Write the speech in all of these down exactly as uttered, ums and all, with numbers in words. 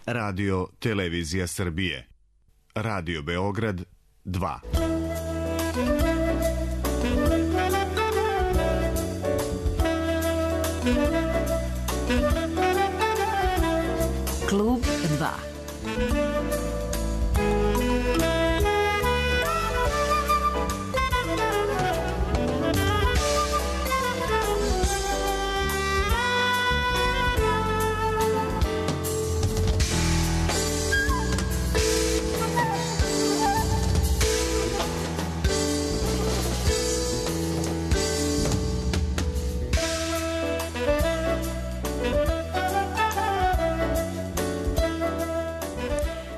Radio Televizija Srbije. Radio Beograd dva. Klub dva.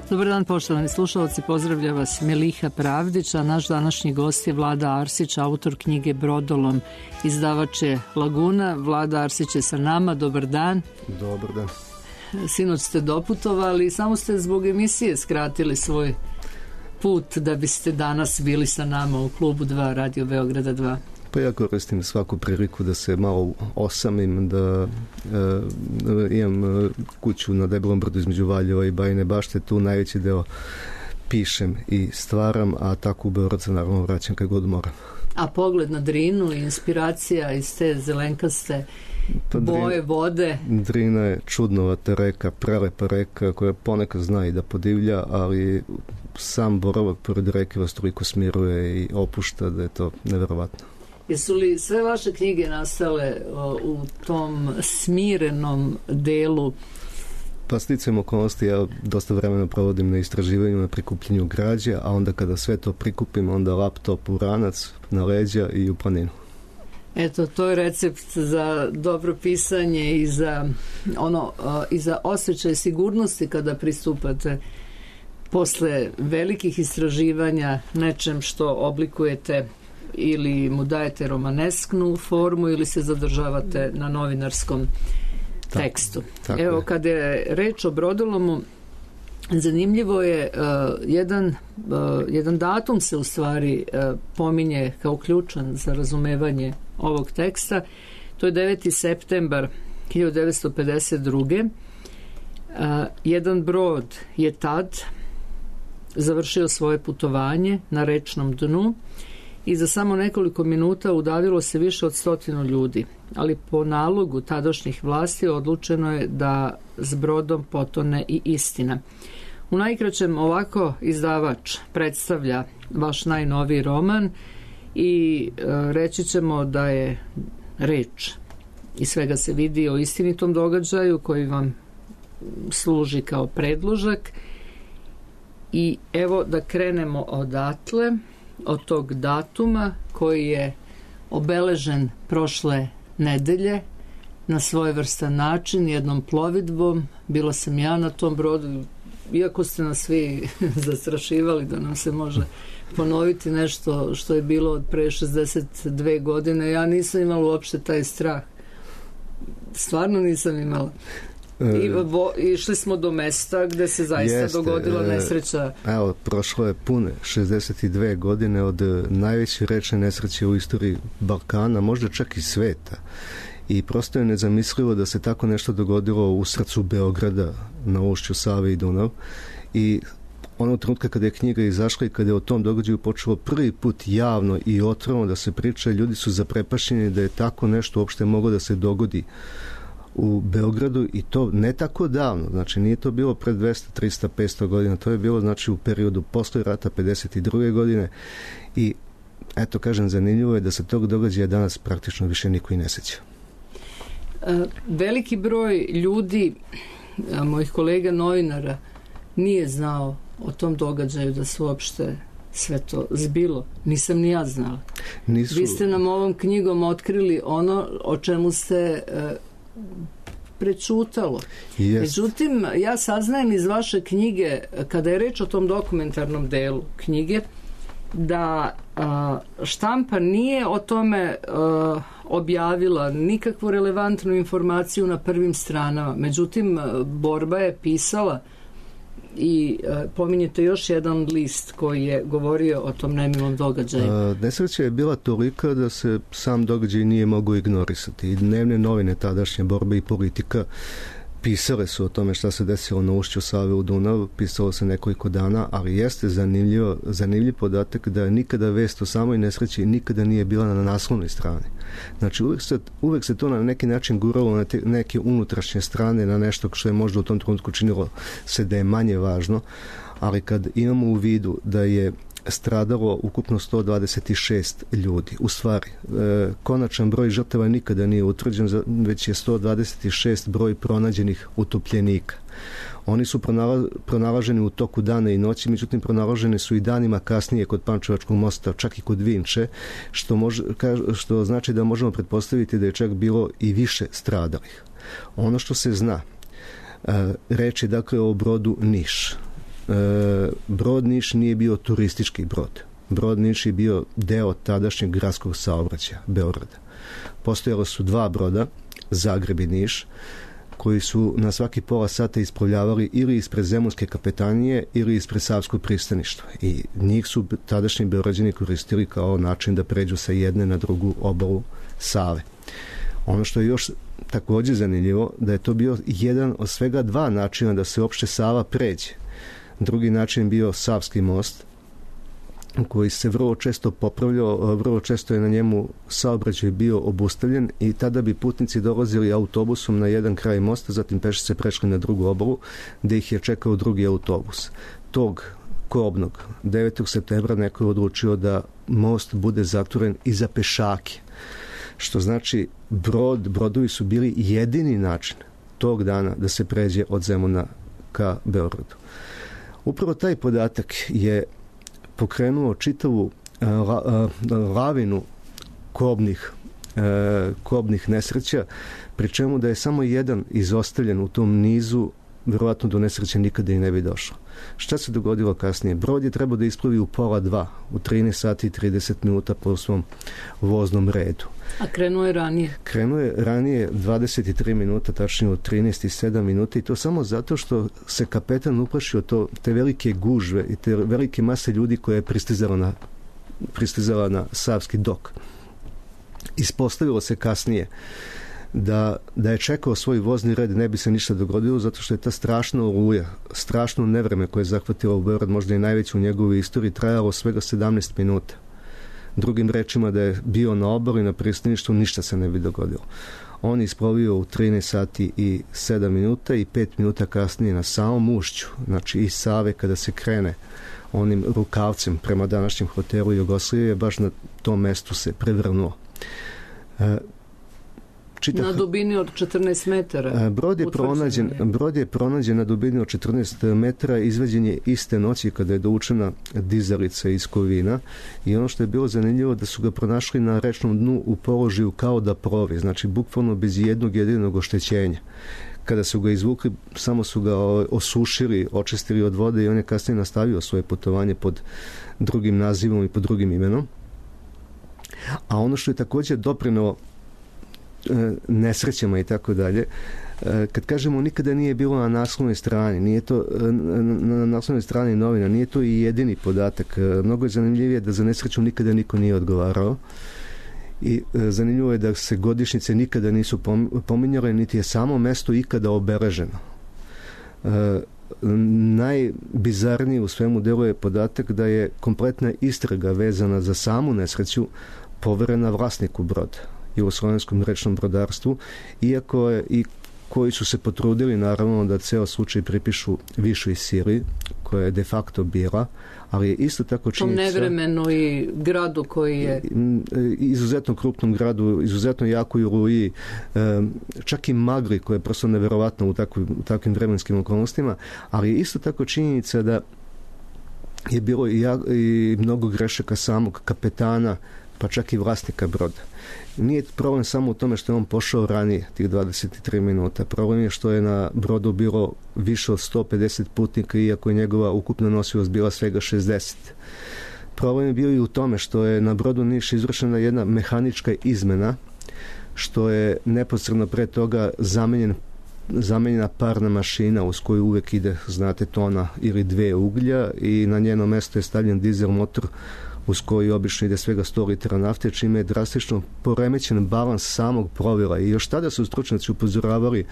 Dobar dan, poštovani slušalci, pozdravlja vas Meliha Pravdić, a naš današnji gost je Vlada Arsić, autor knjige Brodolom, izdavač je Laguna. Vlada Arsić je sa nama, dobar dan. Dobar dan. Sinoć ste doputovali, samo ste zbog emisije skratili svoj put da biste danas bili sa nama u klubu dva, Radio Beograda dva. Pa ja koristim svaku priliku da se malo osamim, da e, imam kuću na Debelom brdu između Valjeva i Bajine Bašte, tu najveći deo pišem i stvaram, a tako u Beograd se naravno vraćam kad god moram. A pogled na Drinu i inspiracija iz te zelenkaste pa boje vode? Drina je čudnovata reka, prelepa reka koja ponekad zna i da podivlja, ali sam boravak pored reke vas toliko smiruje i opušta da je to neverovatno. Jesu li sve vaše knjige nastale o, u tom smirenom delu? Pa sticajem okolnosti, ja dosta vremena provodim na istraživanju, na prikupljenju građe, a onda kada sve to prikupim, onda laptop u ranac, na leđa i u planinu. Eto, to je recept za dobro pisanje i za, ono, i za osjećaj sigurnosti kada pristupate posle velikih istraživanja nečem što oblikujete ili mu dajete romanesknu formu ili se zadržavate na novinarskom tekstu. Tako, tako Evo, kada je reč o Brodolomu, zanimljivo je uh, jedan, uh, jedan datum se u stvari uh, pominje kao ključan za razumevanje ovog teksta. To je deveti septembar hiljadu devetsto pedeset druge. Uh, jedan brod je tad završio svoje putovanje na rečnom dnu i za samo nekoliko minuta udavilo se više od stotinu ljudi, ali po nalogu tadašnjih vlasti odlučeno je da s brodom potone i istina. U najkraćem ovako izdavač predstavlja vaš najnoviji roman i e, reći ćemo da je reč i svega se vidi o istinitom događaju koji vam služi kao predložak. I evo da krenemo odatle, od tog datuma koji je obeležen prošle nedelje na svojevrstan način, jednom plovidbom. Bila sam ja na tom brodu, iako ste nas svi zastrašivali da nam se može ponoviti nešto što je bilo od pre šezdeset dve godine. Ja nisam imala uopšte taj strah. Stvarno nisam imala. I vo, išli smo do mesta gde se zaista Jeste, dogodila nesreća. Evo, prošlo je pune šezdeset dve godine od najveće rečne nesreće u istoriji Balkana, možda čak i sveta. I prosto je nezamislivo da se tako nešto dogodilo u srcu Beograda, na ušću Save i Dunav. I onog trenutka kada je knjiga izašla i kada je o tom događaju počelo prvi put javno i otvoreno da se priča, ljudi su zaprepašćeni da je tako nešto uopšte moglo da se dogodi u Beogradu, i to ne tako davno, znači nije to bilo pred dvesta, trista, petsto godina, to je bilo znači u periodu posle rata pedeset druge godine i eto kažem, zanimljivo je da se tog događaja danas praktično više niko i ne seća. Veliki broj ljudi, mojih kolega novinara, nije znao o tom događaju, da se uopšte sve to zbilo. Nisam ni ja znala. Nisu... Vi ste nam ovom knjigom otkrili ono o čemu ste prečutalo. Yes. Međutim, ja saznajem iz vaše knjige, kada je reč o tom dokumentarnom delu knjige, da a, štampa nije o tome a, objavila nikakvu relevantnu informaciju na prvim stranama. Međutim, Borba je pisala i a, pominjete još jedan list koji je govorio o tom nemilom događaju. A, nesreća je bila tolika da se sam događaj nije mogao ignorisati. I dnevne novine tadašnje, Borba i Politika, pisale su o tome šta se desilo na ušću Save u Dunav, pisalo se nekoliko dana, ali jeste zanimljivo, zanimljiv podatak da nikada vest o samoj nesreći nikada nije bila na naslovnoj strani. Znači uvek se, uvek se to na neki način guralo na te, neke unutrašnje strane, na nešto što je možda u tom trenutku činilo se da je manje važno, ali kad imamo u vidu da je stradalo ukupno sto dvadeset šest ljudi. U stvari, e, konačan broj žrtava nikada nije utvrđen, već je sto dvadeset šest broj pronađenih utopljenika. Oni su pronala, pronalaženi u toku dana i noći, međutim pronalaženi su i danima kasnije kod Pančevačkog mosta, čak i kod Vinče, što, može, što znači da možemo pretpostaviti da je čak bilo i više stradalih. Ono što se zna, e, reč je dakle o brodu Niš. Brod Niš nije bio turistički brod. Brod Niš je bio deo tadašnjeg gradskog saobraćaja Beograda. Postojalo su dva broda, Zagreb i Niš, koji su na svaki pola sata ispravljavali ili ispred Zemunske kapetanije ili ispred Savskog pristaništva. I njih su tadašnji Beograđani koristili kao način da pređu sa jedne na drugu obalu Save. Ono što je još također zanimljivo, da je to bio jedan od svega dva načina da se uopšte Sava pređe. Drugi način bio Savski most, koji se vrlo često popravljao, vrlo često je na njemu saobraćaj bio obustavljen i tada bi putnici dolazili autobusom na jedan kraj mosta, zatim pešice prešli na drugu obalu, gde ih je čekao drugi autobus. Tog kobnog devetog septembra neko je odlučio da most bude zatvoren i za pešake, što znači brod, brodovi su bili jedini način tog dana da se pređe od Zemuna ka Beogradu. Upravo taj podatak je pokrenuo čitavu la, lavinu kobnih, kobnih nesreća, pri čemu da je samo jedan izostavljen u tom nizu, vjerovatno do nesreće nikada i ne bi došlo. Šta se dogodilo kasnije? Brod je trebao da isplavi u pola dva, u trinaest sati i trideset minuta po svom voznom redu. A krenuo je ranije? Krenuo je ranije dvadeset tri minuta, tačnije u trinaest i sedam minuta, i to samo zato što se kapetan uplašio to, te velike gužve i te velike mase ljudi koje je pristizala na, pristizala na Savski dok. Ispostavilo se kasnije da, da je čekao svoj vozni red, ne bi se ništa dogodilo, zato što je ta strašna oluja, strašno nevreme koje je zahvatilo u Beograd, možda i najveće u njegovoj istoriji, trajalo svega sedamnaest minuta. Drugim rečima, da je bio na obali, na pristaništu, ništa se ne bi dogodilo. On je isplovio u trinaest sati i sedam minuta i pet minuta kasnije na samom ušću, znači iz Save kada se krene onim rukavcem prema današnjem hotelu Jugoslavije, baš na tom mestu se prevrnuo. E, Čitav... Na dubini od četrnaest metara. Brod je, pronađen, brod je pronađen na dubini od četrnaest metara, izveđen je iste noći kada je dovučena dizalica iz Kovina, i ono što je bilo zanimljivo da su ga pronašli na rečnom dnu u položaju kao da plovi, znači bukvalno bez jednog jedinog oštećenja. Kada su ga izvukli, samo su ga osušili, očistili od vode i on je kasnije nastavio svoje putovanje pod drugim nazivom i pod drugim imenom. A ono što je također doprinelo nesrećama i tako dalje, kad kažemo nikada nije bilo na naslovnoj strani, nije to na naslovnoj strani novina, nije to i jedini podatak. Mnogo je zanimljivije da za nesreću nikada niko nije odgovarao, i zanimljivo je da se godišnjice nikada nisu pominjale, niti je samo mesto ikada obeleženo. Najbizarniji u svemu delu je podatak da je kompletna istraga vezana za samu nesreću poverena vlasniku broda, Jugoslovenskom rečnom brodarstvu, iako je i koji su se potrudili naravno da ceo slučaj pripišu višoj sili koja je de facto bila, ali je isto tako činjenica... Tom nevremenu i gradu koji je... Izuzetno krupnom gradu, izuzetno jakoj oluji, čak i magli koja je prosto neverovatna u, takvi, u takvim vremenskim okolnostima, ali je isto tako činjenica da je bilo i, ja, i mnogo grešaka samog kapetana, pa čak i vlasnika broda. Nije problem samo u tome što je on pošao ranije, tih dvadeset tri minuta. Problem je što je na brodu bilo više od sto pedeset putnika, iako je njegova ukupna nosivost bila svega šezdeset. Problem je bio i u tome što je na brodu Niš izvršena jedna mehanička izmena, što je neposredno pre toga zamenjen zamenjena parna mašina uz koju uvek ide, znate, tona ili dve uglja, i na njeno mesto je stavljen dizel motor uz koji obično ide svega sto litara nafte, čime je drastično poremećen balans samog plovila. I još tada su stručnjaci upozoravali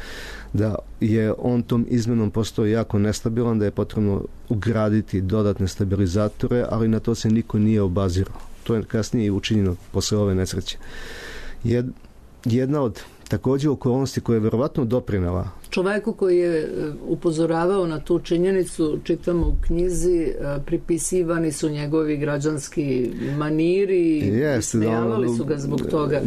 da je on tom izmenom postao jako nestabilan, da je potrebno ugraditi dodatne stabilizatore, ali na to se niko nije obazirao. To je kasnije i učinjeno posle ove nesreće. Jed, jedna od također okolnosti koja je verovatno doprinela. Čoveku koji je upozoravao na tu činjenicu, čitamo u knjizi, pripisivani su njegovi građanski maniri i smijavali su ga zbog toga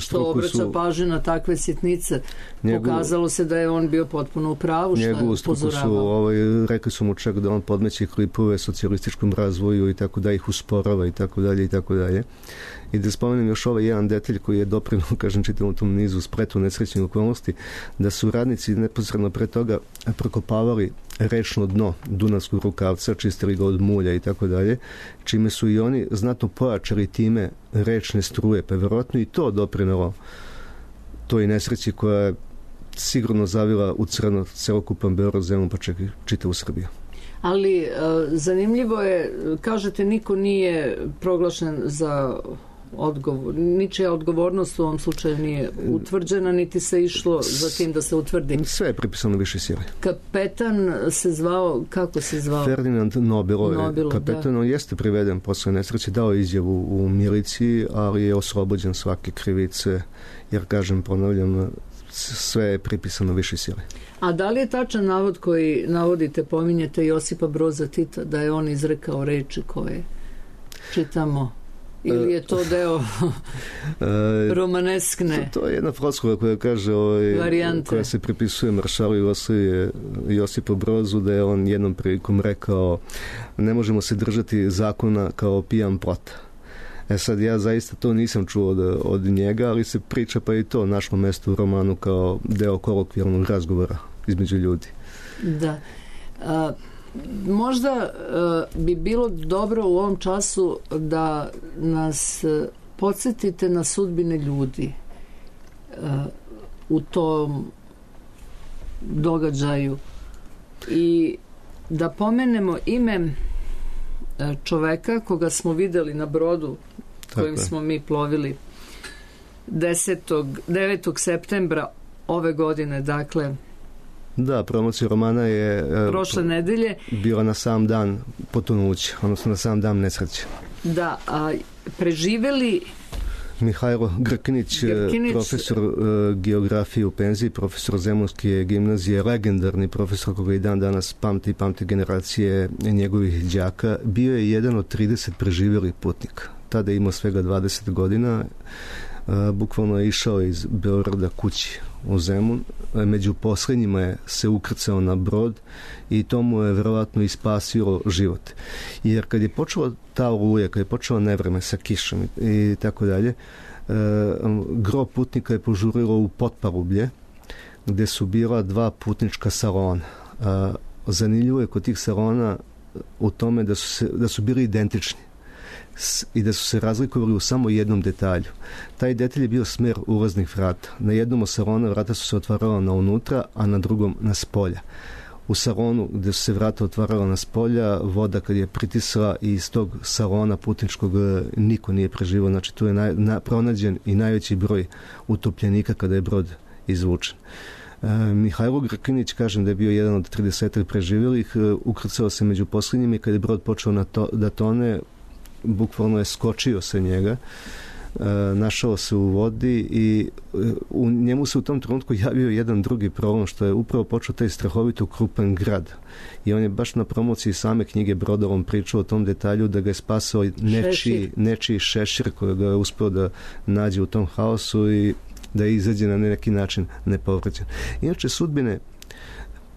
što obraća pažnju na takve sitnice. Njegu, Pokazalo se da je on bio potpuno u pravu što je upozoravao. Ovaj, rekli su mu čak da on podmeće klipove socijalističkom razvoju i tako da ih usporava i tako dalje i tako dalje. I da spomenem još ovaj jedan detalj koji je doprinuo, kažem, čitavom tom nizu spletu nesrećnih okolnosti, da su radnici neposredno pre toga prokopavali rečno dno Dunavskog rukavca, čistili ga od mulja i tako dalje, čime su i oni znatno pojačali time rečne struje, pa verovatno i to doprinelo toj nesreći koja je sigurno zavila u crno celokupan Beograd, zemlju, pa čak i čitavu Srbiju. Ali e, zanimljivo je, kažete, niko nije proglašen za odgovor, ničija odgovornost u ovom slučaju nije utvrđena, niti se išlo za tim da se utvrdi. Sve je pripisano više sile. Kapetan se zvao, kako se zvao? Ferdinand Nobilo. Nobilo kapetan, da. On jeste priveden posle nesreće, dao izjavu u miliciji, ali je oslobođen svake krivice, jer, kažem, ponavljam, sve je pripisano više sile. A da li je tačan navod koji navodite, pominjete Josipa Broza Tita, da je on izrekao reči koje čitamo? Ili je to deo romaneskne? To, to je jedna floskula koja kaže, ovaj, koja se pripisuje maršalu Josipu Brozu, da je on jednom prilikom rekao: ne možemo se držati zakona kao pijan plota. E sad, ja zaista to nisam čuo od, od njega, ali se priča pa i to našlo mesto u romanu kao deo kolokvijalnog razgovora između ljudi. Da. A, možda a, bi bilo dobro u ovom času da nas a, podsjetite na sudbine ljudi a, u tom događaju i da pomenemo ime čoveka koga smo videli na brodu kojim smo mi plovili desetog, devetog septembra ove godine, dakle da, promocija romana je prošle uh, nedelje bila na sam dan potonuća, odnosno na sam dan nesreće. Da, a preživeli Mihajlo Grkinić, Grkinić, profesor uh, geografije u penziji, profesor Zemunske gimnazije, legendarni profesor koga i dan danas pamti i pamti generacije njegovih đaka, bio je jedan od trideset preživjelih putnika. Tada je imao svega dvadeset godina, uh, bukvalno je išao iz Beograda kući u Zemun. Među posljednjima je se ukrcao na brod i to mu je verovatno i spasilo život. Jer kad je počela ta oluja, kad je počela nevreme sa kišom i tako dalje, e, gro putnika je požurilo u Potparublje, gde su bila dva putnička salona. E, zanimljivo je kod tih salona u tome da su, se, da su bili identični i da su se razlikovali u samo jednom detalju. Taj detalj je bio smer ulaznih vrata. Na jednom od salona vrata su se otvarala na unutra, a na drugom na spolja. U salonu gde su se vrata otvarala na spolja, voda kad je pritisla i iz tog salona putničkog niko nije preživao. Znači tu je na, na, pronađen i najveći broj utopljenika kada je brod izvučen. E, Mihajlo Grkinić, kažem da je bio jedan od trideset preživjelih, e, ukrcao se među posljednjima i kada je brod počeo na to, da tone, bukvalno je skočio se njega, e, našao se u vodi i e, u njemu se u tom trenutku javio jedan drugi problem, što je upravo počeo taj strahovito krupan grad. I on je baš na promociji same knjige Brodovom pričao o tom detalju da ga je spasao nečiji, nečiji šešir koji ga je uspio da nađe u tom haosu i da je izađe na neki način nepovređen. Inače, sudbine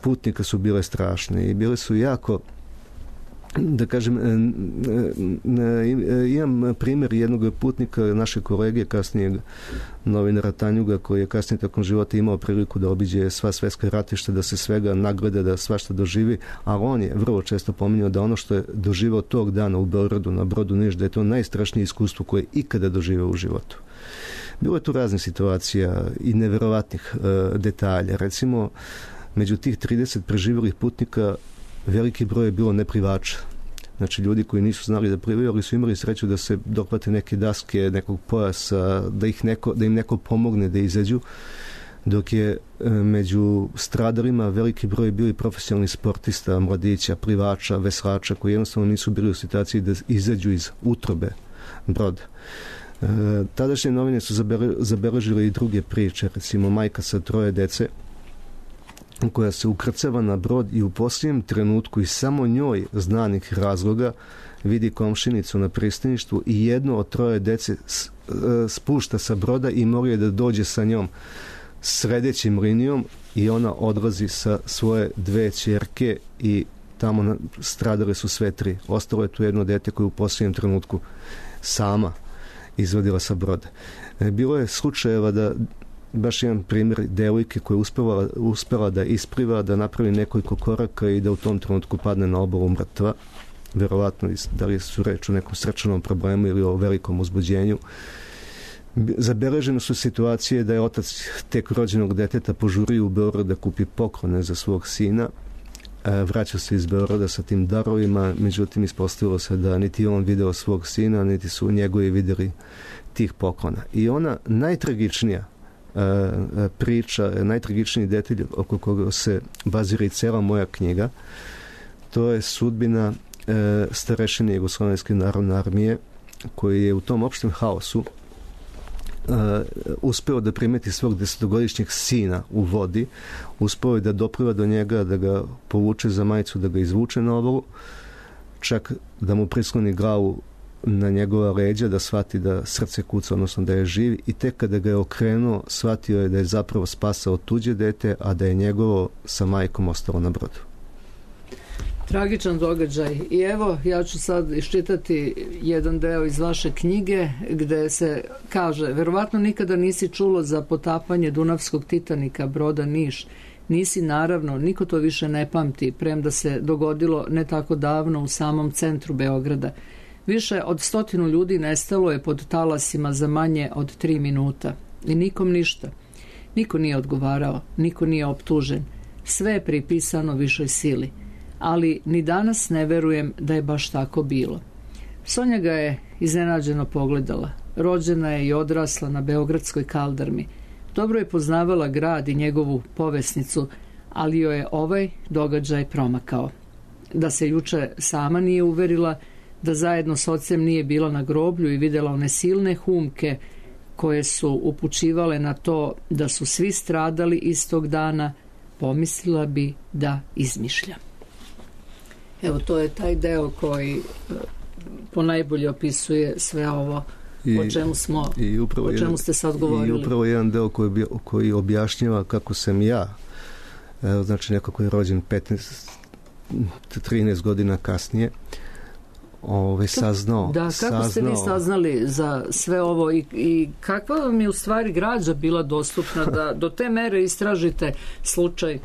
putnika su bile strašne i bile su jako, da kažem, imam primjer jednog putnika, naše kolege, kasnijeg novinara Tanjuga, koji je kasnije tokom života imao priliku da obiđe sva svetska ratišta, da se svega nagleda, da svašta doživi, a on je vrlo često pominjao da ono što je doživao tog dana u Beogradu na brodu Niš, da je to najstrašnije iskustvo koje je ikada doživao u životu. Bilo je tu raznih situacija i neverovatnih uh, detalja. Recimo, među tih trideset preživjelih putnika veliki broj je bilo neplivača. Znači ljudi koji nisu znali da plivaju, ali su imali sreću da se dohvate neke daske, nekog pojasa, da, ih neko, da im neko pomogne da izađu, dok je e, među stradalima veliki broj bili profesionalni sportista, mladića, plivača, veslača, koji jednostavno nisu bili u situaciji da izađu iz utrobe broda. E, tadašnje novine su zabele, zabeležile i druge priče, recimo majka sa troje dece koja se ukrcava na brod i u posljednjem trenutku i samo njoj znanih razloga vidi komšinicu na pristaništu i jedno od troje dece spušta sa broda i mora je da dođe sa njom sredećim linijom i ona odlazi sa svoje dve ćerke i tamo stradale su sve tri. Ostalo je tu jedno dete koje u posljednjem trenutku sama izvadila sa broda. Bilo je slučajeva da baš jedan primjer devojke koja je uspela, uspela da ispliva, da napravi nekoliko koraka i da u tom trenutku padne na obalu mrtva. Verovatno da li su reč o nekom srčanom problemu ili o velikom uzbuđenju. Zabeležene su situacije da je otac tek rođenog deteta požurio u Beograd da kupi poklone za svog sina. Vraća se iz Beograda sa tim darovima, međutim ispostavilo se da niti on video svog sina, niti su njegovi vidjeli tih poklona. I ona najtragičnija priča, najtragičniji detalj oko koga se bazira i cela moja knjiga, to je sudbina starešine Jugoslovenske narodne armije, koji je u tom opštem haosu Uh, uspeo da primeti svog desetogodišnjeg sina u vodi, uspeo je da dopliva do njega, da ga povuče za majicu, da ga izvuče na obalu, čak da mu prisloni glavu na njegova leđa, da shvati da srce kuca, odnosno da je živ, i tek kada ga je okrenuo, shvatio je da je zapravo spasao tuđe dete, a da je njegovo sa majkom ostalo na brodu. Tragičan događaj. I evo, ja ću sad iščitati jedan deo iz vaše knjige gde se kaže: verovatno nikada nisi čulo za potapanje Dunavskog Titanika, broda Niš. Nisi, naravno, niko to više ne pamti, premda se dogodilo ne tako davno u samom centru Beograda. Više od stotinu ljudi nestalo je pod talasima za manje od tri minuta. I nikom ništa. Niko nije odgovarao, niko nije optužen. Sve je pripisano višoj sili. Ali ni danas ne verujem da je baš tako bilo. Sonja ga je iznenađeno pogledala. Rođena je i odrasla na beogradskoj kaldarmi. Dobro je poznavala grad i njegovu povesnicu, ali joj je ovaj događaj promakao. Da se juče sama nije uverila, da zajedno s ocem nije bila na groblju i vidjela one silne humke koje su upućivale na to da su svi stradali istog dana, pomislila bi da izmišlja. Evo, to je taj deo koji ponajbolje opisuje sve ovo I, o čemu smo, i o čemu jedan, ste sad govorili. I upravo jedan deo koji, koji objašnjava kako sam ja, evo, znači neko koji je rođen petnaest trinaest godina kasnije, ove, saznao. Da, kako saznao, ste vi saznali za sve ovo i, i kakva vam je u stvari građa bila dostupna da do te mere istražite slučaj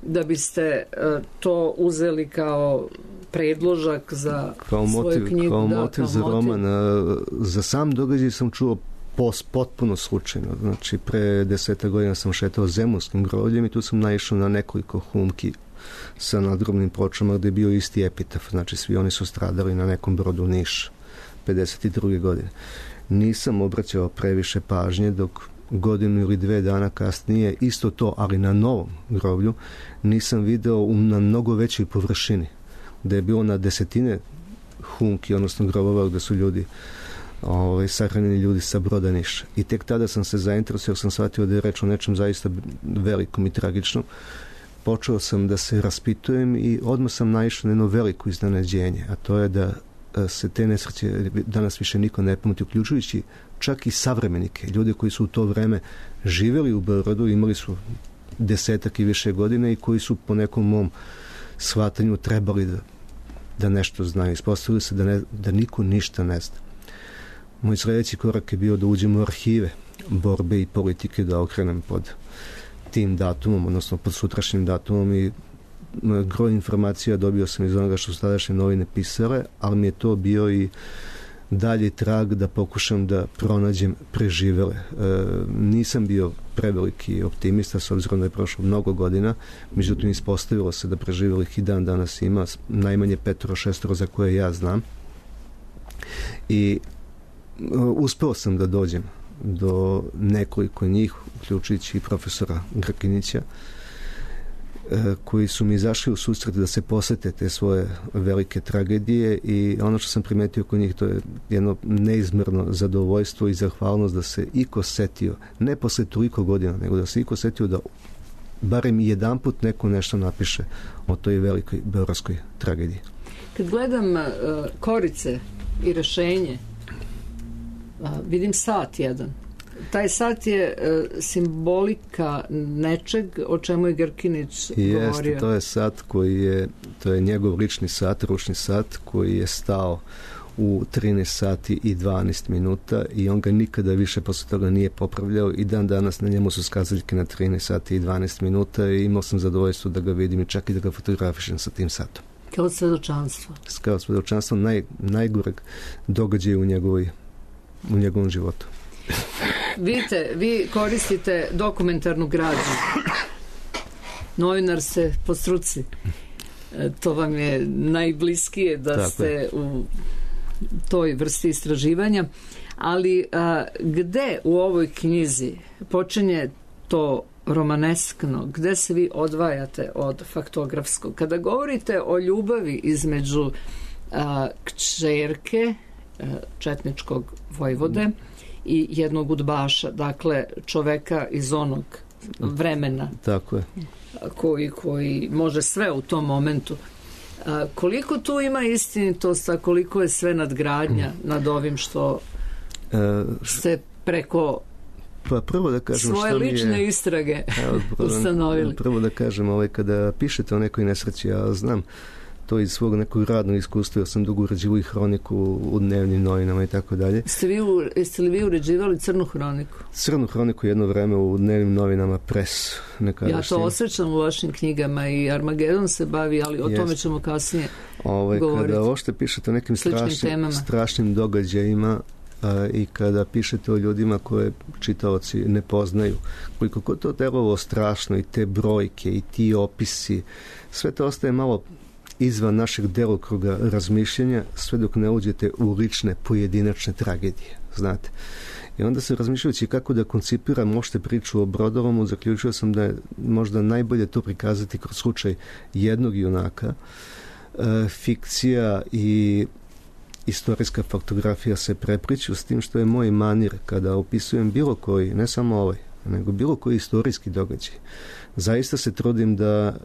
da biste uh, to uzeli kao predložak za kao svoju motiv, knjigu. Kao da, motiv kao za motiv. roman. Uh, za sam događaj sam čuo pos, potpuno slučajno. Znači, pre deseta godina sam šetao zemunskim grobljem i tu sam naišao na nekoliko humki sa nadgrobnim pločama gde je bio isti epitaf. Znači, svi oni su stradali na nekom brodu Niš pedeset druge godine. Nisam obraćao previše pažnje, dok godinu ili dve dana kasnije isto to, ali na novom groblju, nisam video na mnogo većoj površini, da je bilo na desetine humki, odnosno grobova gde su ljudi ovaj, sahranjeni ljudi sa broda Niša. I tek tada sam se zainteresovao, sam shvatio da je reč o nečem zaista velikom i tragičnom. Počeo sam da se raspitujem i odmah sam naišao na jedno veliko iznenađenje, a to je da se te nesreće danas više niko ne pamti, uključujući čak i savremenike, ljude koji su u to vreme živjeli u Beogradu, imali su desetak i više godine i koji su po nekom mom shvatanju trebali da, da nešto znaju. Ispostavili se da, ne, da niko ništa ne zna. Moj sljedeći korak je bio da uđem u arhive borbe i politike, da okrenem pod tim datumom, odnosno pod sutrašnjim datumom, i groj informacija dobio sam iz onoga što su tadašnje novine pisale, ali mi je to bio i dalji trag, da pokušam da pronađem preživele. E, nisam bio preveliki optimista s obzirom da je prošlo mnogo godina, međutim ispostavilo se da preživelih i dan danas ima najmanje petoro, šestoro za koje ja znam. I e, uspeo sam da dođem do nekoliko njih, uključujući i profesora Grkinića, koji su mi izašli u susret da se posete te svoje velike tragedije, i ono što sam primetio kod njih, to je jedno neizmjerno zadovoljstvo i zahvalnost da se iko setio, ne posle toliko godina, nego da se iko setio da barem jedanput neko nešto napiše o toj velikoj beogradskoj tragediji. Kad gledam uh, korice i rešenje, uh, vidim sat jedan. Taj sat je uh, simbolika nečeg o čemu je Grkinić govorio. Jeste, to je sat koji je, to je njegov lični sat, ručni sat koji je stao u trinaest sati i dvanaest minuta i on ga nikada više posle toga nije popravljao i dan danas na njemu su skazaljke na trinaest sati i dvanaest minuta i imao sam zadovoljstvo da ga vidim i čak i da ga fotografišem sa tim satom. Kao svedočanstvo. Kao svedočanstvo naj, najgoreg događaja u, njegovoj, u njegovom životu. Vidite, vi koristite dokumentarnu građu. Novinar ste po struci. E, to vam je najbliskije da Tako ste je. u toj vrsti istraživanja. Ali a, gde u ovoj knjizi počinje to romaneskno, gde se vi odvajate od faktografskog? Kada govorite o ljubavi između a, kćerke a, četničkog vojvode i jednog udbaša, dakle čoveka iz onog vremena, Tako je. koji, koji može sve u tom momentu. A, koliko tu ima istinitost, a koliko je sve nadgradnja nad ovim što ste preko pa prvo da kažem svoje lične je, istrage evo, ustanovili? Prvo da kažem, ovaj, kada pišete o nekoj nesreći, ja znam to iz svog nekog radnog iskustva, ja sam dugo uređivao i hroniku u dnevnim novinama i tako dalje. Ste, vi, jeste li vi uređivali crnu hroniku? Crnu hroniku jedno vreme u dnevnim novinama Pres. Ja to osjećam u vašim knjigama i Armagedon se bavi, ali o Jest. tome ćemo kasnije ovaj, govoriti. Kada ošte pišete o nekim strašnim, strašnim događajima a, i kada pišete o ljudima koje čitaoci ne poznaju, koliko god to delovalo strašno i te brojke i ti opisi, sve to ostaje malo izvan našeg delokruga razmišljanja sve dok ne uđete u lične pojedinačne tragedije, znate. I onda se razmišljajući kako da koncipiram uopšte priču o Brodoromu, zaključio sam da je možda najbolje to prikazati kroz slučaj jednog junaka. E, fikcija i istorijska faktografija se prepliću, s tim što je moj manir kada opisujem bilo koji, ne samo ovaj, nego bilo koji istorijski događaj. Zaista se trudim da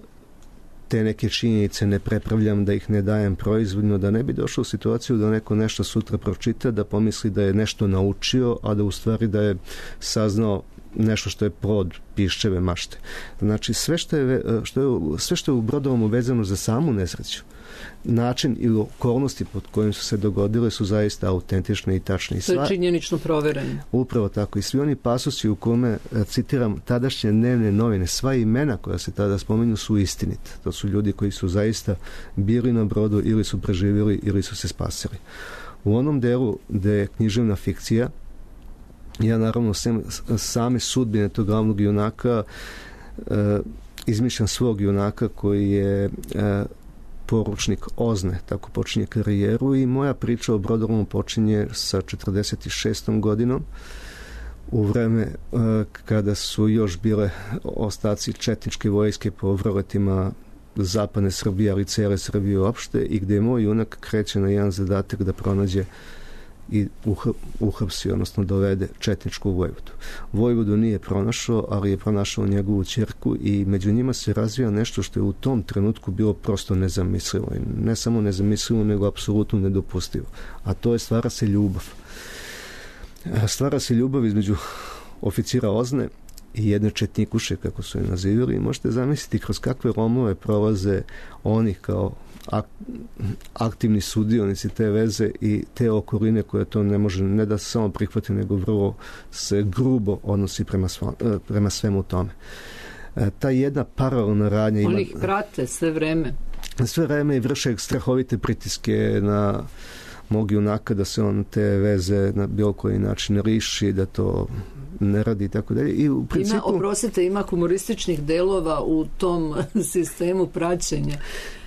te neke činjenice ne prepravljam, da ih ne dajem proizvodno, da ne bi došao u situaciju da neko nešto sutra pročita, da pomisli da je nešto naučio, a da u stvari da je saznao nešto što je plod piščeve mašte. Znači, sve što je, što je, sve što je u Brodoromu vezano za samu nesreću, način i okolnosti pod kojim su se dogodile su zaista autentične i tačne. To je činjenično provereno. Upravo tako. I svi oni pasusi u kome, citiram, tadašnje dnevne novine, sva imena koja se tada spominju su istinite. To su ljudi koji su zaista bili na brodu ili su preživjeli ili su se spasili. U onom delu gde je književna fikcija, ja naravno sem, same sudbine tog glavnog junaka e, izmišljam svog junaka koji je e, poručnik Ozne, tako počinje karijeru i moja priča o Brodoromu počinje sa četrdeset šestom godinom u vreme e, kada su još bile ostaci četničke vojske po vroletima zapadne Srbije, ali cele Srbije uopšte, i gde moj junak kreće na jedan zadatak da pronađe i uhapsi, odnosno dovede četničku vojvodu. Vojvodu nije pronašao, ali je pronašao njegovu ćerku i među njima se razvija nešto što je u tom trenutku bilo prosto nezamislivo. I ne samo nezamislivo, nego apsolutno nedopustivo. A to je stvara se ljubav. Stvara se ljubav između oficira Ozne i jedne četnikuše, kako su je nazivili, i možete zamisliti kroz kakve lomove prolaze oni kao aktivni sudionici te veze i te okoline koje to ne može ne da se samo prihvati, nego vrlo se grubo odnosi prema, sva, prema svemu tome. E, ta jedna paralelna radnja ima... Oni ih prate sve vreme. Sve vreme i vrše strahovite pritiske na mog junaka da se on te veze na bilo koji način riši, da to ne radi i tako dalje. I u principu... Ima, oprostite, ima humorističnih delova u tom sistemu praćenja.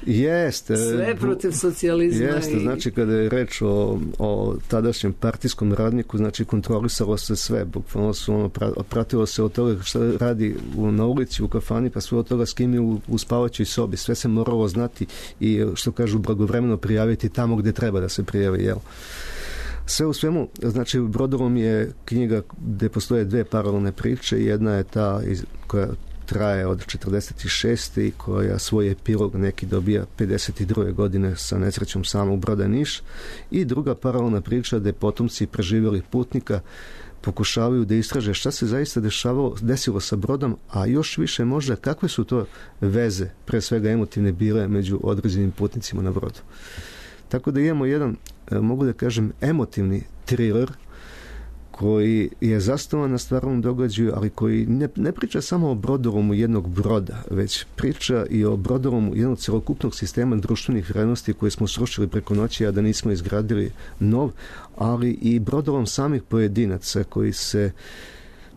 Jeste. Sve protiv socijalizma. Jeste, i... znači kada je reč o, o tadašnjem partijskom radniku, znači kontrolisalo se sve, bukvalno su ono, pratilo se od toga šta radi u, na ulici, u kafani, pa sve od toga s kim je u, u spavaćoj sobi. Sve se moralo znati i, što kažu, blagovremeno prijaviti tamo gdje treba da se prijavi, jel? Sve u svemu, znači Brodolom je knjiga gdje postoje dve paralelne priče. Jedna je ta iz, koja traje od četrdeset šeste i koja svoj epilog neki dobija pedeset druge godine sa nesrećom samog broda Niš, i druga paralelna priča gdje potomci preživjelih putnika pokušavaju da istraže šta se zaista dešavalo, desilo sa brodom, a još više možda kakve su to veze, pre svega emotivne, bile među određenim putnicima na brodu. Tako da imamo jedan, mogu da kažem, emotivni thriller koji je zasnovan na stvarnom događaju, ali koji ne, ne priča samo o brodolomu jednog broda, već priča i o brodolomu jednog celokupnog sistema društvenih vrijednosti koje smo srušili preko noći, a da nismo izgradili nov, ali i brodolom samih pojedinaca koji se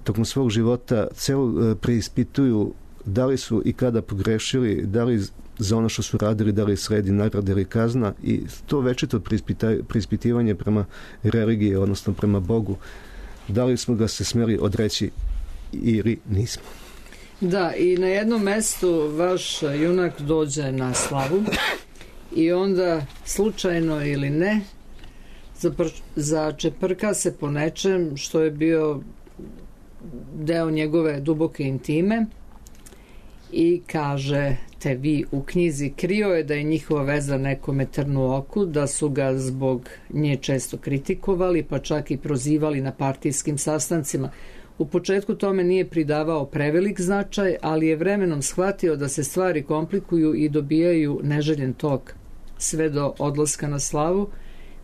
tokom svog života celo preispituju da li su i kada pogrešili, da li za ono što su radili, da li sledi nagrada ili kazna, i to večito preispitivanje prema religiji, odnosno prema Bogu, da li smo ga se smjeli odreći ili nismo. Da, i na jednom mestu vaš junak dođe na slavu i onda slučajno ili ne začeprka se po nečem što je bio deo njegove duboke intime i kaže te vi u knjizi, krio je da je njihova veza nekome trnu oku, da su ga zbog nje često kritikovali, pa čak i prozivali na partijskim sastancima. U početku tome nije pridavao prevelik značaj, ali je vremenom shvatio da se stvari komplikuju i dobijaju neželjen tok. Sve do odlaska na slavu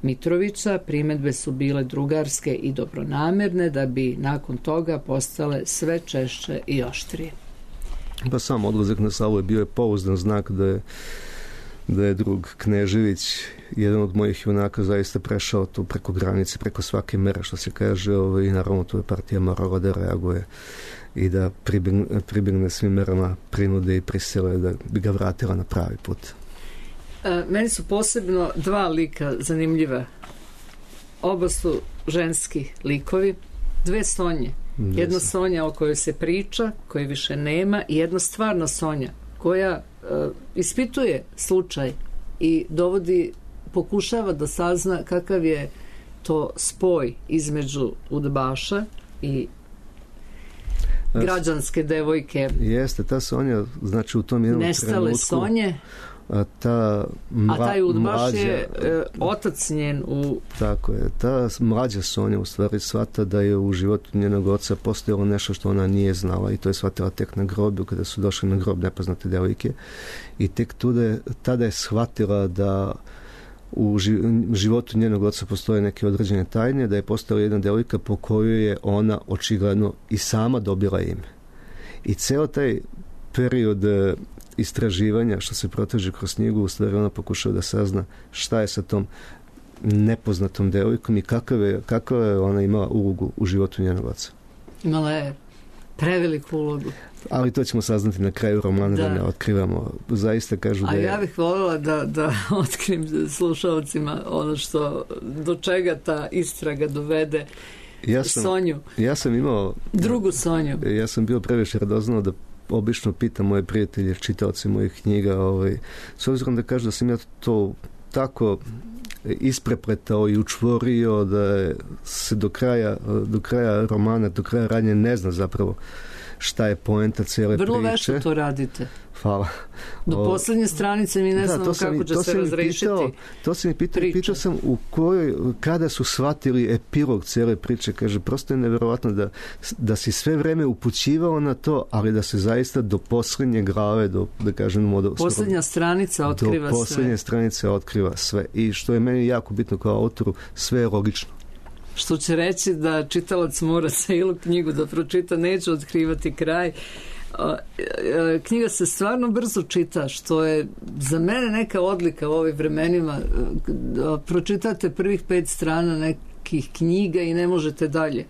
Mitrovića primedbe su bile drugarske i dobronamerne, da bi nakon toga postale sve češće i oštrije. Pa sam odlazak na slavu je bio je pouzdan znak da je, da je drug Knežević, jedan od mojih junaka, zaista prešao tu preko granice, preko svake mere, što se kaže, ovaj, i naravno tu je partija morala da reaguje i da pribjegne, pribjegne svim merama prinude i prisile da bi ga vratila na pravi put. E, meni su posebno dva lika zanimljiva. Oba su ženski likovi, dve Sonje. Jedna Sonja o kojoj se priča, koje više nema, i jedna stvarna Sonja koja e, ispituje slučaj i dovodi, pokušava da sazna kakav je to spoj između udbaša i građanske devojke. Jeste, ta Sonja, znači u tom jednom nestale trenutku... Sonje. A, ta mla, a taj udbaš mlađa, je e, otac njen u... Tako je, ta mlađa Sonja u stvari shvata da je u životu njenog oca postojalo nešto što ona nije znala, i to je shvatila tek na grobu, kada su došli na grob nepoznate devojke, i tek tude, tada je shvatila da u životu njenog oca postoje neke određene tajne, da je postojala jedna devojka po kojoj je ona očigledno i sama dobila ime. I ceo taj period istraživanja što se proteže kroz knjigu, u stvari ona pokušava da sazna šta je sa tom nepoznatom devojkom i kakav je, kakav je ona imala ulogu u životu njenog oca. Imala je preveliku ulogu. Ali to ćemo saznati na kraju romana, da, da ne otkrivamo. Zaista kažu da je... A ja bih voljela da, da otkrim slušalcima ono što, do čega ta istraga dovede ja sam, Sonju. Ja sam imao... Drugu Sonju. Ja sam bio previše radoznao da obično pitam moje prijatelje, čitaoci mojih knjiga, ovaj, s obzirom da kažu da sam ja to tako isprepletao i učvorio da se do kraja, do kraja romana, do kraja radnje ne zna zapravo šta je poenta cijele priče. Vrlo vešto to radite. Hvala. Do o, posljednje stranice mi ne znamo kako sam, će se razrešiti. Pitao, to sam mi pitao, pitao sam u kojoj, kada su shvatili epilog cijele priče. Kaže, prosto je nevjerovatno da, da si sve vreme upućivao na to, ali da se zaista do posljednje glave, do, da kažem, do, posljednja stranica otkriva sve. Do posljednje stranice otkriva sve. I što je meni jako bitno kao autoru, sve je logično. Što će reći da čitalac mora celu knjigu da pročita, neću otkrivati kraj. knjiga se stvarno brzo čita, što je za mene neka odlika u ovim vremenima. Pročitate prvih pet strana nekih knjiga i ne možete dalje.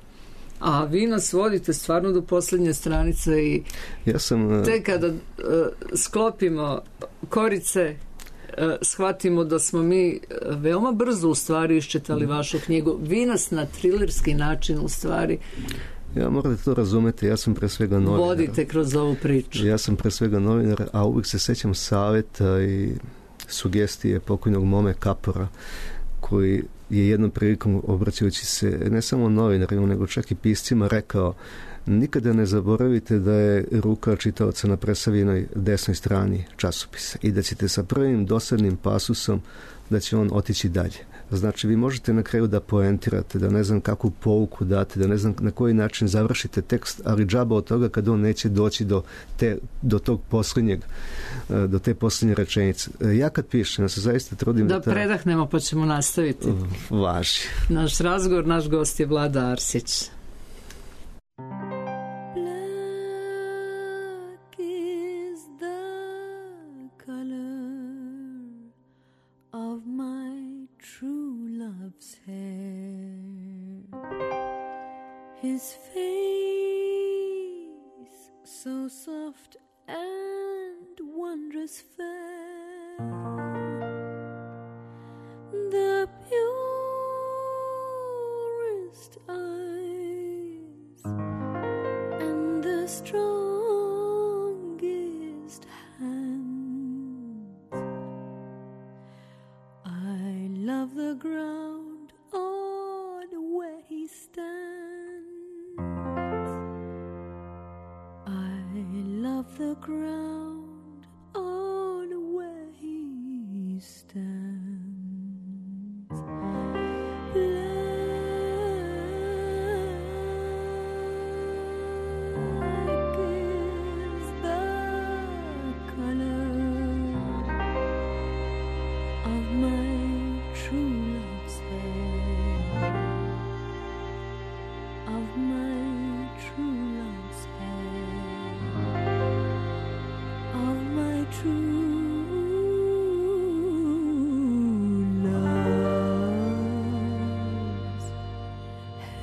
A vi nas vodite stvarno do posljednje stranice i ja sam, te kada uh, sklopimo korice, uh, shvatimo da smo mi veoma brzo u stvari iščitali vašu knjigu. Vi nas na trilerski način u stvari ja morate to razumeti, ja sam pre svega novinar. Vodite kroz ovu priču. Ja sam pre svega novinar, a uvijek se sećam savjeta i sugestije pokojnog Mome Kapora, koji je jednom prilikom, obraćajući se ne samo novinarima, nego čak i piscima, rekao: nikada ne zaboravite da je ruka čitaoca na presavljenoj desnoj strani časopisa i da ćete sa prvim dosadnim pasusom da će on otići dalje. Znači, vi možete na kraju da poentirate, da ne znam kakvu pouku date, da ne znam na koji način završite tekst, ali džaba od toga kad on neće doći do, te, do tog posljednjeg, do te posljednje rečenice. Ja kad pišem, ja se zaista trudim da... Da ta... predahnemo pa ćemo nastaviti. Važi. Naš razgovor, naš gost je Vlada Arsić. His face so soft and wondrous fair, the purest eyes and the strongest hands. I love the ground on where he stands. The ground on where he stands. Black is the color of my true love's hair, of my true love's hair, of my true love's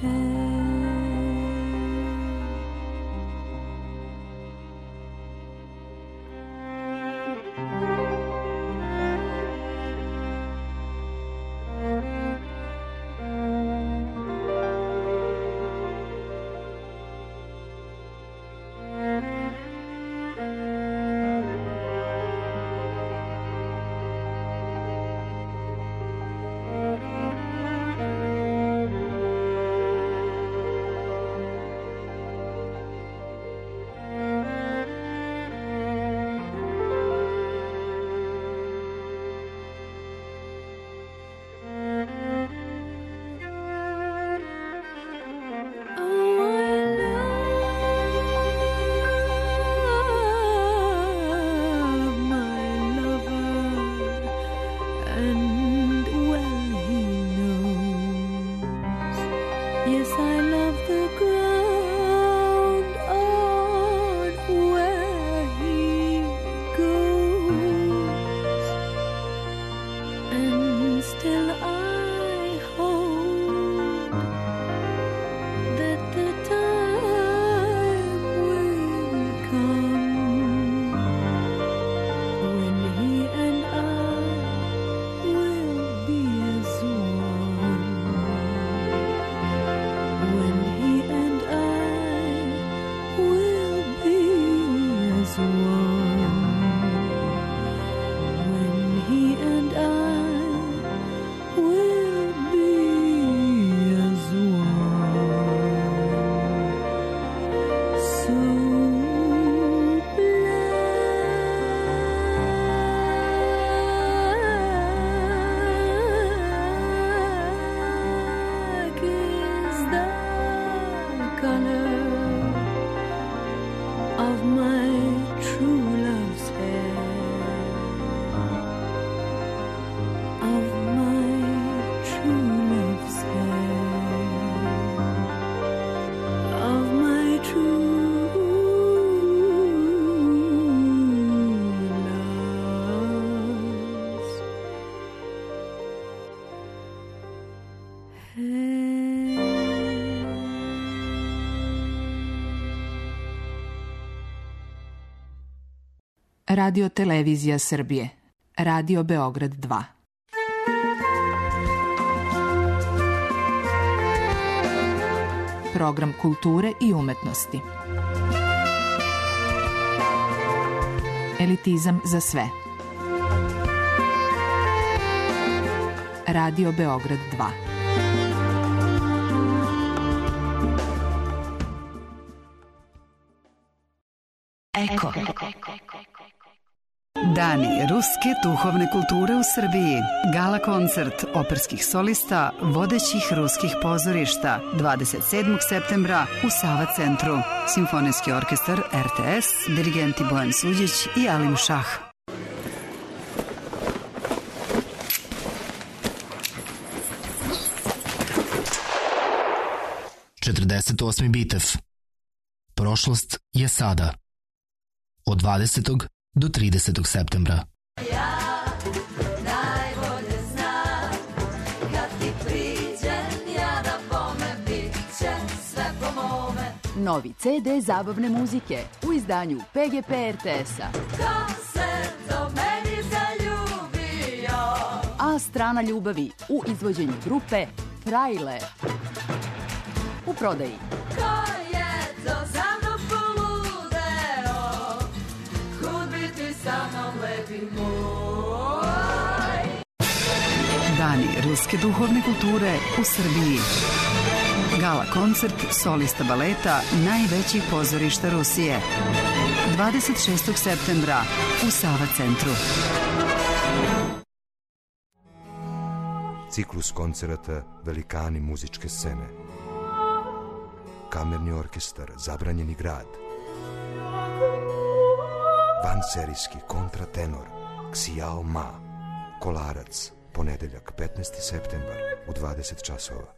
hair. When he and I will Radio Televizija Srbije. Radio Beograd dva. Program kulture i umetnosti. Elitizam za sve. Radio Beograd dva. Eko. Dani ruske duhovne kulture u Srbiji. Gala koncert operskih solista vodećih ruskih pozorišta dvadeset sedmog septembra u Sava centru. Simfonijski orkestar R T S, dirigenti Bojan Suđić i Alim Šah. četrdeset osmi bitev. Prošlost je sada. Od dvadesetog do tridesetog septembra. Ja najbolje znam, kad ti priđem, ja da bome, bit će sve po mome. Novi C D zabavne muzike u izdanju P G P R T S-a. Ko se do meni zaljubio? A strana ljubavi u izvođenju grupe Frajle. U prodaji. Ko je to za mnom poludeo? Kud bi ti sa mnom lepi moj? Dani ruske duhovne kulture u Srbiji. Gala koncert solista baleta najvećih pozorišta Rusije. dvadeset šestog septembra u Sava centru. Ciklus koncerata Velikani muzičke scene. Kamerni orkestar Zabranjeni grad. Vanserijski kontratenor Ksijao Ma. Kolarac, ponedeljak petnaesti septembar u dvadeset časova.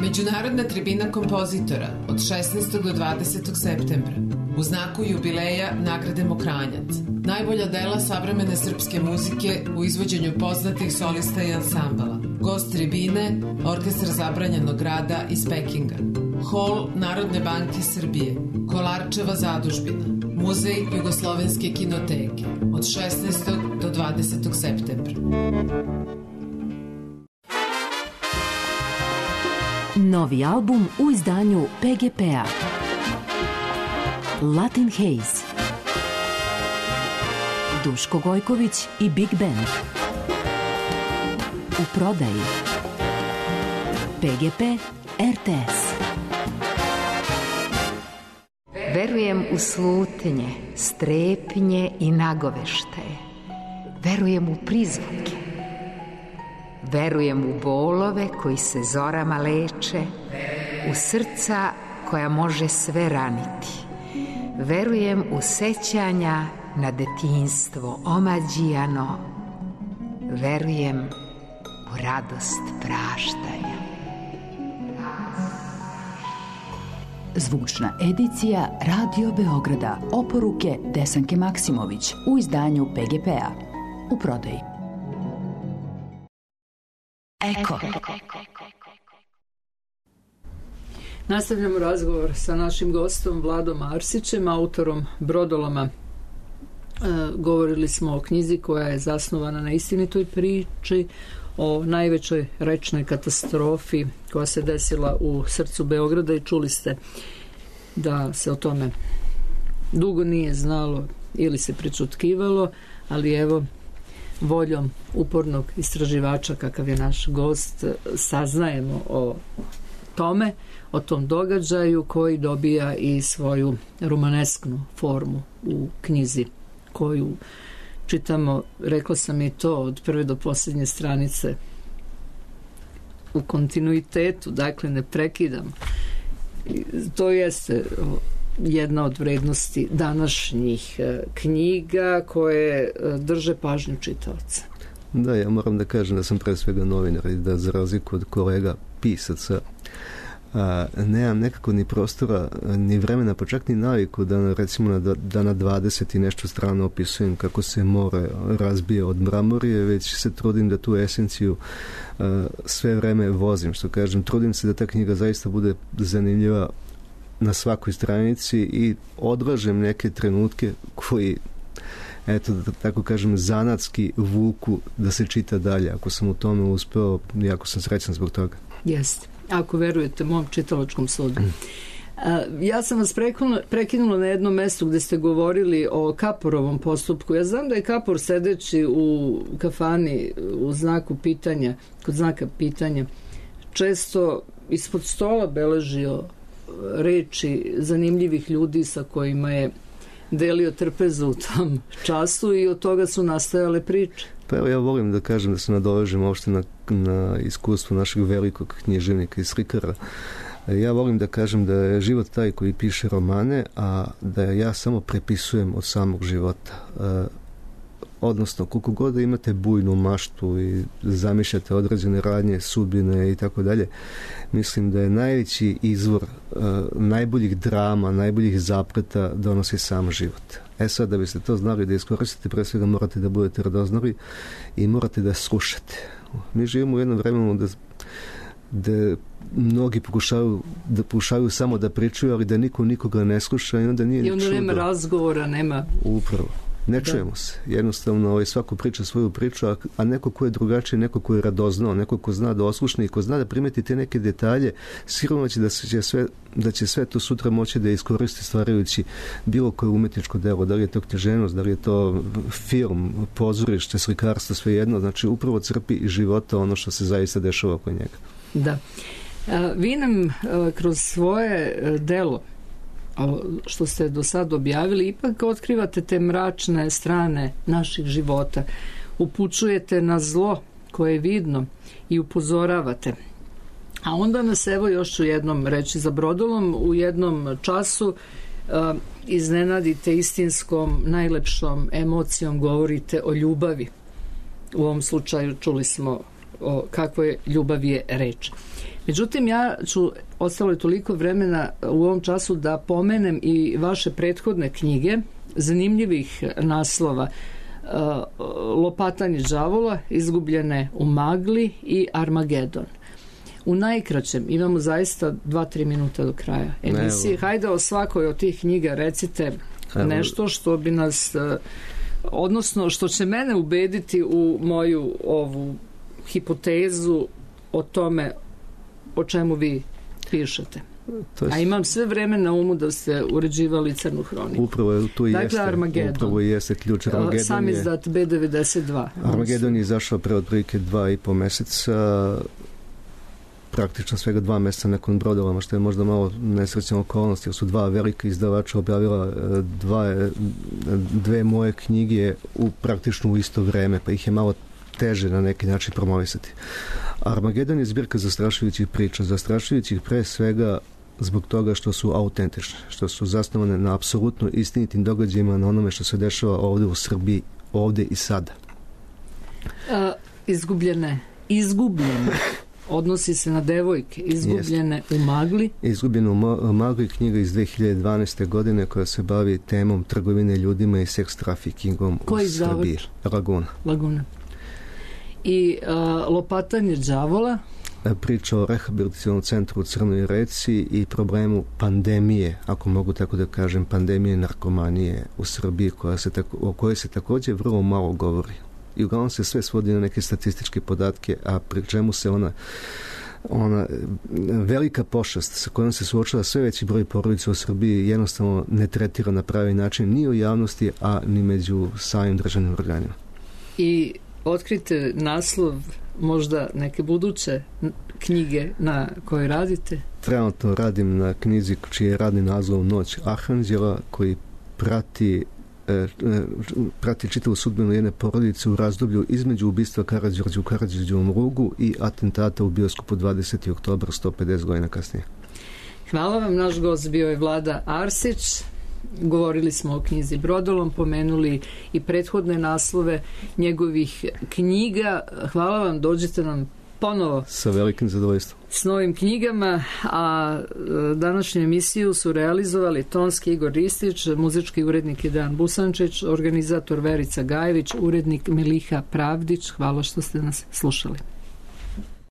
Međunarodna tribina kompozitora od šesnaestog do dvadesetog septembra u znaku jubileja nagrade Mokranjac. Najbolja dela savremene srpske muzike u izvođenju poznatih solista i ansambala. Gost tribine, Orkestar Zabranjenog grada iz Pekinga. Hol Narodne banke Srbije, Kolarčeva zadužbina, Muzej Jugoslovenske kinoteke od šesnaestog do dvadesetog septembra. Novi album u izdanju P G P-a. Latin Haze. Duško Gojković i Big Band. U prodaji. P G P R T S. Verujem u slutnje, strepnje i nagoveštaje. Verujem u prizvuke. Verujem u bolove koji se zorama leče, u srca koja može sve raniti. Verujem u sećanja na detinjstvo omađijano. Verujem u radost praštanja. Zvučna edicija Radio Beograda. Oporuke Desanke Maksimović u izdanju P G P-a. U prodaji. Eko. Nastavljamo razgovor sa našim gostom Vladom Arsićem, autorom Brodoloma. E, govorili smo o knjizi koja je zasnovana na istinitoj priči o najvećoj rečnoj katastrofi koja se desila u srcu Beograda i čuli ste da se o tome dugo nije znalo ili se prečutkivalo, ali evo voljom upornog istraživača kakav je naš gost saznajemo o tome, o tom događaju koji dobija i svoju romanesknu formu u knjizi koju čitamo, rekla sam i to, od prve do posljednje stranice u kontinuitetu, dakle ne prekidam. To jeste jedna od vrednosti današnjih knjiga koje drže pažnju čitaoca. Da, ja moram da kažem da sam pre svega novinar i da za razliku od kolega pisaca a, nemam nekako ni prostora ni vremena, pa čak ni naviku da recimo na, da na dvadeset i nešto strana opisujem kako se more razbije od mramorije, već se trudim da tu esenciju a, sve vreme vozim, što kažem, trudim se da ta knjiga zaista bude zanimljiva na svakoj stranici i odlažem neke trenutke koji, eto, da tako kažem, zanatski vuku da se čita dalje. Ako sam u tome uspeo, jako sam srećan zbog toga. Jeste. Ako verujete mom čitalačkom sudu. Ja sam vas prekinula, prekinula na jednom mestu gde ste govorili o Kaporovom postupku. Ja znam da je Kapor sedeći u kafani u znaku pitanja, kod znaka pitanja, često ispod stola beležio reči zanimljivih ljudi sa kojima je delio trpezu u tom času i od toga su nastajale priče. Pa evo, ja volim da kažem da se nadovežem uopšte na, na iskustvo našeg velikog književnika i slikara. Ja volim da kažem da je život taj koji piše romane, a da ja samo prepisujem od samog života. E, odnosno, koliko god da imate bujnu maštu i zamišljate određene radnje, sudbine i tako dalje, mislim da je najveći izvor e, najboljih drama, najboljih zapleta donosi sam život. E sad, da biste to znali da iskoristite, pre svega morate da budete radoznali i morate da slušate. Mi živimo u jednom vremenu da da mnogi pokušavaju da pokušavaju samo da pričaju, ali da niko nikoga ne sluša i onda nije I onda čudo. nema razgovora, nema... Upravo. Ne čujemo se. Jednostavno ovaj, svako priča svoju priču, a, a neko ko je drugačiji, neko ko je radoznao, neko ko zna da oslušne i ko zna da primeti te neke detalje, sigurno će da, se će sve, da će sve to sutra moći da iskoristi stvarajući bilo koje umetničko delo, da li je to književnost, da li je to film, pozorište, slikarstvo, sve jedno, znači upravo crpi iz života ono što se zaista dešava oko njega. Da. A, vi nam a, kroz svoje a, delo što ste do sad objavili, ipak otkrivate te mračne strane naših života. Upućujete na zlo koje je vidno i upozoravate. A onda nas, evo još ću jednom reći za Brodolom, u jednom času uh, iznenadite istinskom, najlepšom emocijom, govorite o ljubavi. U ovom slučaju čuli smo o kakvoj ljubavi je reč. Međutim, ja ću, ostalo je toliko vremena u ovom času da pomenem i vaše prethodne knjige, zanimljivih naslova, Lopatanje đavola, Izgubljene u magli i Armagedon. U najkraćem, imamo zaista dva tri minuta do kraja emisije. Hajde o svakoj od tih knjiga recite nešto što bi nas, odnosno što će mene ubediti u moju ovu hipotezu o tome o čemu vi pišete. To je... A imam sve vreme na umu da ste uređivali Crnu hroniku. Upravo je tu dakle, jeste. Armagedon. Upravo jeste ključ. Armagedon sam izdat be devedeset dva. Armagedon je izašao pre otprilike dva i po meseca, praktično svega dva meseca nakon Brodolama, što je možda malo nesrećna okolnost, jer su dva velika izdavača objavila dva, dve moje knjige u praktično u isto vreme, pa ih je malo teže na neki način promovisati. Armagedon je zbirka zastrašujućih priča, zastrašujućih pre svega zbog toga što su autentične, što su zasnovane na apsolutno istinitim događajima, na onome što se dešava ovde u Srbiji, ovde i sada. A, izgubljene, izgubljene, odnosi se na devojke, izgubljene Jest. u magli. Izgubljene u magli, knjiga iz dve hiljade dvanaeste. godine koja se bavi temom trgovine ljudima i seks trafikingom u Srbiji. Laguna. Laguna. I a, Lopatanje đavola, priča o rehabilitacionom centru u Crnoj Reci i problemu pandemije, ako mogu tako da kažem, pandemije narkomanije u Srbiji, koja se tako, o kojoj se takođe vrlo malo govori. I uglavnom se sve svodi na neke statističke podatke, a pri čemu se ona ona velika pošast sa kojom se suočava sve veći broj porodica u Srbiji jednostavno ne tretira na pravi način ni u javnosti, a ni među samim državnim organima. I otkrite naslov možda neke buduće knjige na koje radite? Trenutno radim na knjizi čiji je radni naslov Noć Arhanđela, koji prati e, prati čitavu sudbinu jedne porodice u razdoblju između ubistva Karađorđa u Karađorđevom Rugu i atentata u bioskopu dvadesetog oktobra sto pedeset godina kasnije. Hvala vam, naš gost bio je Vlada Arsić. Govorili smo o knjizi Brodolom, pomenuli i prethodne naslove njegovih knjiga. Hvala vam, dođite nam ponovo sa velikim zadovoljstvom s novim knjigama, a današnju emisiju su realizovali tonski Igor Ristić, muzički urednik Dejan Busančić, organizator Verica Gajević, urednik Miliha Pravdić. Hvala što ste nas slušali.